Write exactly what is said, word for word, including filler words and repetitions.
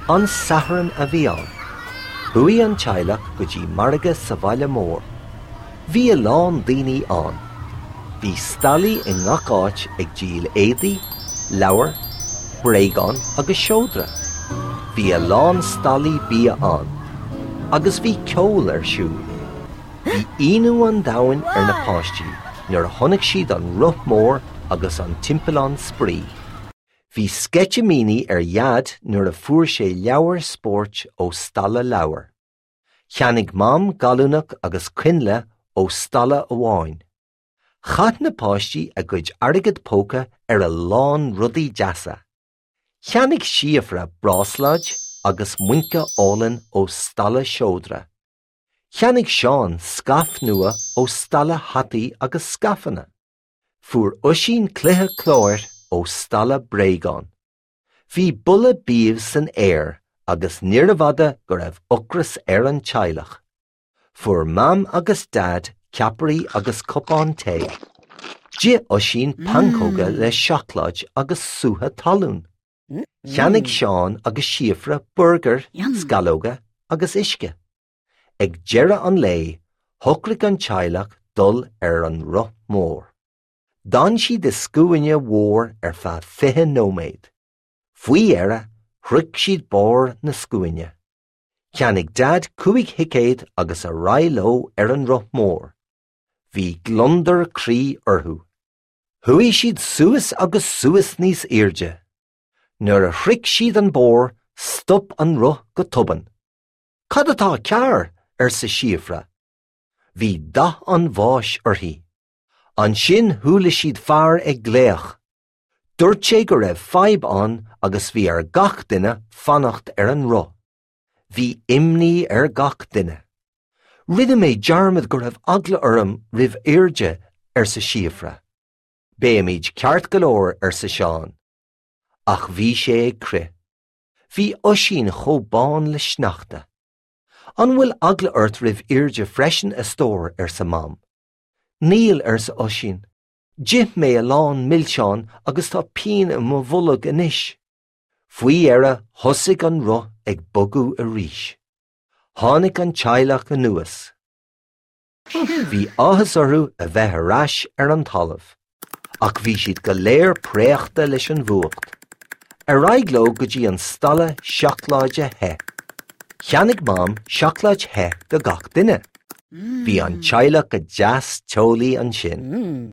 An Satharn a bhí ann. Chuaigh an teaghlach go dtí margadh sa bhaile mór. Bhí a lán daoine ann. Bhí stallaí i ngach áit ag díol éadaí, leabhar, bréagán agus seodra. Bhí a lán stallaí bia ann, agus bhí ceol ar siúl. Bhí ionadh an domhain ar na páistí nuair a chonaic siad an roth mór agus an timpeallán spraoi. Bhí sceitimíní ar Dhaid nuair a fuair sé leabhar spóirt ó stalla leabhar. Cheannaigh Mam gallúnach agus coinnle ó stalla amháin. Chaith na páistí a gcuid airgead póca ar a lán rudaí deasa. Cheannaigh Síofra bráisléad agus muince álainn ó stalla seodra. Cheannaigh Seán scaif nua ó stalla hataí agus scaifeanna. Fuair Oisín cluiche cláir ó stalla bréagán. Bhí boladh bídh san aer agus níorbh fhada go raibh ocras ar an teaghlach. Fuair Mam agus Dad ceapairí agus cupán tae. D'ith Oisín pancóga le seacláid agus sútha talún. Cheannaigh Seán agus Síofra burgar, sceallóga agus uisce. Ag deireadh an lae, shocraigh an teaghlach dul ar an roth mór. D'fhan siad i scuaine mhór ar feadh fiche nóiméad. Faoi dheireadh, shroich siad barr na scuaine. Cheannaigh Dad cúig thicéad agus ar aghaidh leo ar an roth mór. Bhí gliondar croí orthu. Chuaigh siad suas agus suas níos airde. Nuair a shroich siad an barr, stop an roth go tobann. Cad atá cearr arsa Síofra. Bhí dath an bháis uirthi. Ansin chuala siad fear ag glaoch. Dúirt sé go raibh fadhb ann agus bhí ar gach duine fanacht ar an roth. Bhí imní ar gach duine. Rinne mé dearmad go raibh eagla orm roimh airde arsa Síofra. Beimid ceart go leor arsa Seán. Ach bhí sé ag crith. Bhí Oisín chomh bán le sneachta. An bhfuil eagla ort roimh airde freisin a stór arsa Mam. Níl arsa Oisín. D'ith mé a lán milseán agus tá pian i mo bholg anois. Faoi dheireadh thosaigh an roth ag bogadh arís. Tháinig an teaghlach anuas. Bhí áthas orthu a bheith ar ais ar an talamh, ach bhí siad go léir préachta leis an bhfuacht. Ar aghaidh leo go dtí an stalla seacláide the. Cheannaigh Mam seacláid the do gach duine. Bhí an teaghlach go deas teolaí ansin.